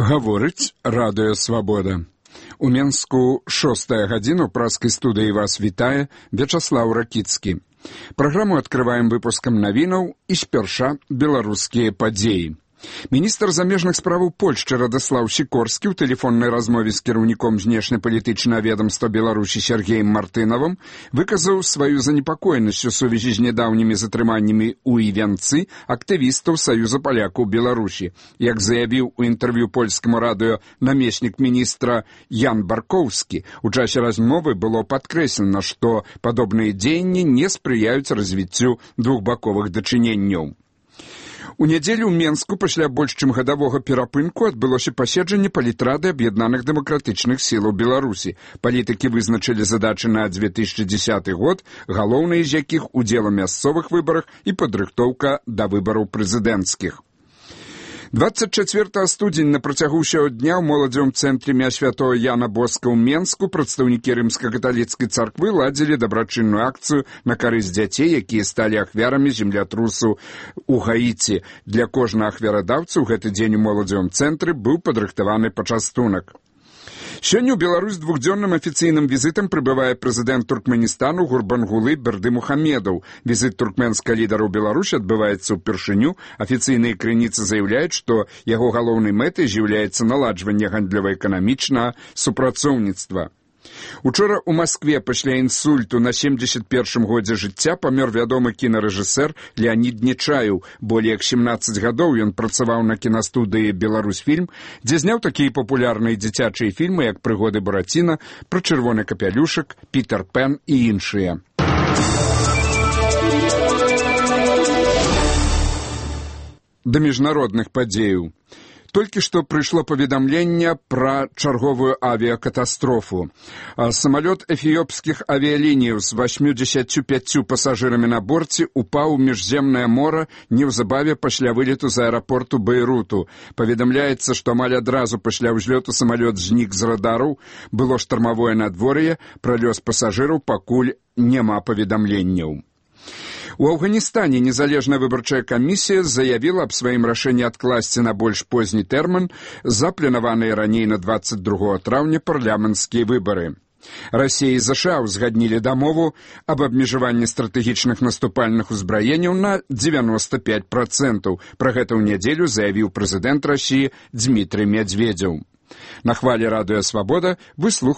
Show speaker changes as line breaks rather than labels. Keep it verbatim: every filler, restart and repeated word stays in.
Гаворыць Радыё Свабода. У Менску шостая гадзіна ў праскай студыі вас вітае Вячаслаў Ракіцкі. Праграму адкрываем выпускам навінаў і спярша беларускія падзеі. Міністр замежных справаў Польшчы Радаслаў Сікорскі ў тэлефоннай размове з кіраўніком знешнепалітычнага ведамства Беларусі Сергеем Мартынавым выказаў сваю занепакоенасць у сувязі з нядаўнімі затрыманнямі ў Івянцы актывістаў Саюза палякаў Беларусі. Як заявіў у інтэрв'ю польскаму радыё намеснік міністра Ян Баркоўскі, у часе размовы было падкрэслена, што падобныя дзеянні не спрыяюць развіццю двухбаковых дачыненняў. У нядзелю ў Менску пасля больш чым гадавога перапынку адбылося паседжанне палітрады аб'яднаных дэмакратычных сілаў Беларусі. Палітыкі вызначылі задачы на две тысячы дзесяты год, галоўныя з якіх удзел у мясцовых выбарах і падрыхтоўка да выбараў прэзідэнцкіх. двадцать чацвёртага студзеня на працягу ўсяго дня ў моладзевым цэнтры імя святого Яна Боска ў Менску прадстаўнікі рымска-каталіцкай царквы ладзілі дабрачынную акцыю на карысць дзяцей, якія сталі ахвярамі землятрусу ў Гаіці. Для кожнага ахвярадаўца ў гэты дзень у моладзевым цэнтры быў падрыхтаваны пачастунак. Сёння ў Беларусь двухдзённым афіцыйным візітам прыбывае прэзідэнт Туркменістану Гурбангулы Бердымухамедаў. Візіт туркменскага лідара ў Беларусі адбываецца ўпершыню. Афіцыйныя крыніцы заяўляюць, што яго галоўнай мэтай з'яўляецца наладжванне гандлёва-эканамічнага супрацоўніцтва. Учора ў Маскве пасля інсульту на семдзесят першым годзе жыцця памёр вядомы кінарэжысэр Леанід Нечаеў. Болей як семнаццаць гадоў ён працаваў на кінастудыі «Беларусьфільм», дзе зняў такія папулярныя дзіцячыя фільмы, як «Прыгоды Бураціна», «Пра чырвоны капялюшак», «Пітер Пен» і іншыя. Да міжнародных падзеяў. Толькі што прыйшло паведамленне пра чарговую авіякатастрофу. Самалёт эфіёпскіх авіяліній з васьмідзесятцю пяццю пасажырамі на борце упаў у міжземнае мора неўзабаве пасля вылету з аэрапорту Бейруту. Паведамляецца, што амаль адразу пасля ўзлёту самалёт знік з радараў, было штармавое надвор'е, пра лёс пасажыраў пакуль няма паведамленняў. У Афганістане незалежная выбарчая камісія заявіла аб сваім рашэнні адкласці на больш позні тэрмін запланаваныя раней на двадцать другога траўня парламенцкія выбары. Расія і ЗША ўзгаднілі дамову аб абмежаванні стратэгічных наступальных узбраенняў на дзевяноста пяць працэнтаў. Пра гэта ў нядзелю заявіў прэзідэнт Расіі Дзмітрый Мядзведзеў. На хвалі Радыё Свабода вы слухаеце